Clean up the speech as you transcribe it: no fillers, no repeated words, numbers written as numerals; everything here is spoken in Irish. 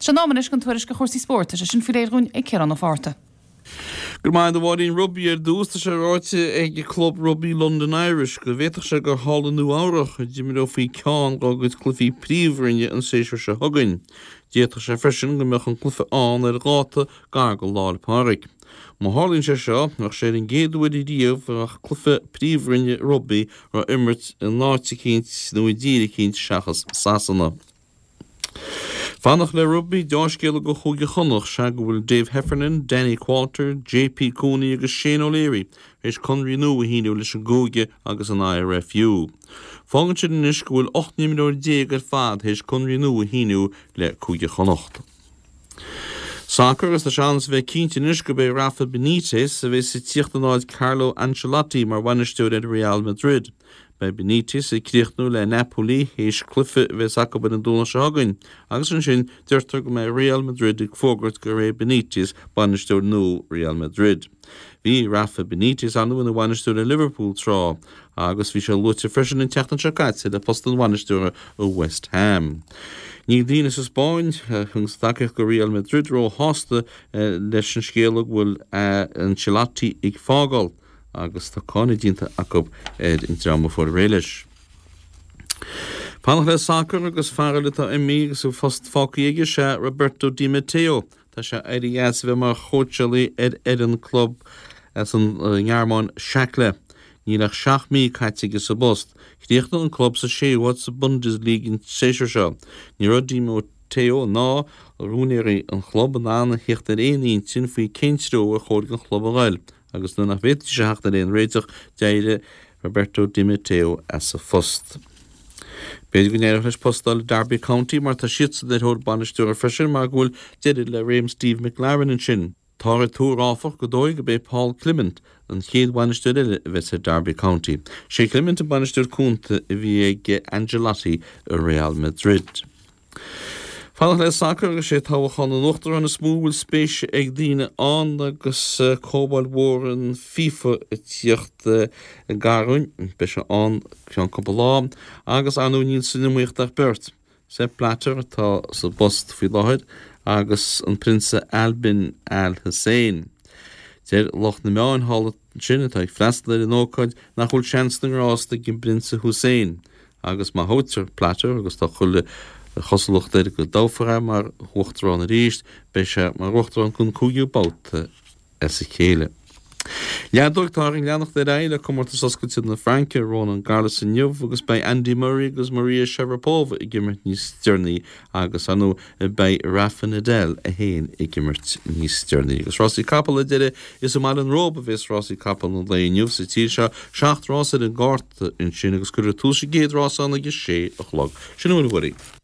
Sé an am anois don tuairisc ar chúrsaí spóirt, tá sé sin faoi réir dhúinn ag Ciarán Ó Fátharta. Go raibh maith agat a Mháirín. Rugbaí ar dtús, tá sé ráite ag club rugbaí London Irish go bhféadfadh sé gur thall i Nua Eabhrach a d'imreofaí ceann dá gcuid cluichí príomhroinne an séasúr seo chugainn. D'fhéadfadh sé freisin go mbeadh an cluiche ann ar dháta gar go Lá 'le Pádraig. Má tharlaíonn sé seo, bheadh sé ar an gcéad uair riamh a bheadh cluiche príomhroinne rugbaí á imirt in áit eicínt nó i dtír eicínt seachas Sasana. Fanacht le rugbaí, deá-scéala do Chúige Chonnacht sea go bhfuil Dave Heffernan, Danny Qualter, JP Cooney agus Shane O'Leary tar éis conraí nua a shíniú leis an gcúige agus an IRFU. Fágann sin anois go bhfuil 18 n-imreoir ar fad tar éis conraí nua a shíniú le Cúige Chonnacht. Sacar agus tá sé ann is a bheith cinnte anois gurb é Rafa Benitez a bheas ag tíocht in áit Carlo Ancelotti mar bhainisteoir ar Real Madrid. Beidh Benitez ag críochnú le Napoli théis cluiche a bheas acu ar an Domhnach seo chugainn agus ansin deirtear go mbeidh Real Madrid ag fógairt gur é Benitez bainisteoir nua Real Madrid. Bhí Rafa Benitez ar ndóigh ina bhainisteoir ar Liverpool tráth agus bhí sé luaite freisin an tseachtain seo caite le post an bhainisteora i West Ham. Níl daoine sa Spáinn a thuganns tacaíocht go Real Madrid róshásta leis an scéala go bhfuil Ancelotti ag fágáil. agus tá cáineadh déanta acu ar an dream a fuair réidh leis. Fanacht le sacar agus fear eile atá imithe agus a phost fágtha aige is ea Roberto Di Matteo. Tá sé éirithe as a bheith mar chóitseálaí ar fhoireann club as an nGearmáin, Schalke. Níl ach 7 mí caite aige sa bpost. Chríochnaigh an club sa séú háit sa Bundesliga an séasúr seo. Ní raibh Di Matteo ná úinéirí an chlub in ann a theacht ar aon intinn faoi cén treo ar chóir don chlub a ghoil. Agus nuair nach bhféadfaidís a theacht ar aon réiteach, d'éirigh Roberto Di Matteo as a phost. B'fhéidir go n-éireodh leis post a fháil i Derby County mar tá siadsan ar thóir bainisteora freisin mar go bhfuil deireadh le réim Steve McClaren ansin. Táthar ag tuar áfach gur dóigh gurb é Paul Clement an chéad bhainisteoir eile a bheas ar Derby County. Sé Clement an bainisteoir cúnta a bhí ag Ancelotti i Real Madrid. Fanacht le sacar agus sé toghchán an Uachtaráin is mó a bhfuil spéis ag daoine ann agus comhdháil mhór an FIFA ag tíocht i ngar dúinn. Beidh sé ann ceann cúpla lá agus ar ndóigh níl san iomaíocht ach beirt, Sepp Blatter atá sa bpost faoi láthair agus an Prionsa Ali bin Al Hussein. Deir lucht na meáin thall ansin atá ag freastal ar an ócáid nach bhfuil seans na ngrást ag an bPrionsa Hussein Agus má thoghtar Blatter, agus tá chuile chosúlacht air go dtoghfar é mar Uachtarán arís, beidh sé mar Uachtarán don cúigiú babhta as a chéile. Leadóg, Táthar ag leanacht ar aghaidh le Comórtas Oscailte na Fraince i Roland Garros inniu agus beidh Andy Murray agus Maria Sharapova ag imirt níos deireanaí agus, ar ndóigh, beidh Rafa Nadal é féin ag imirt níos deireanaí. Agus rásaí capall ar deireadh, is i mBaile an Róba a bhéas rásaí capall an lae inniu sa tír seo, seacht rás ar an gcárta ansin agus cuirfear tús an gcéad rás ann ag a sé a chlog. Sin a bhfuil uaim.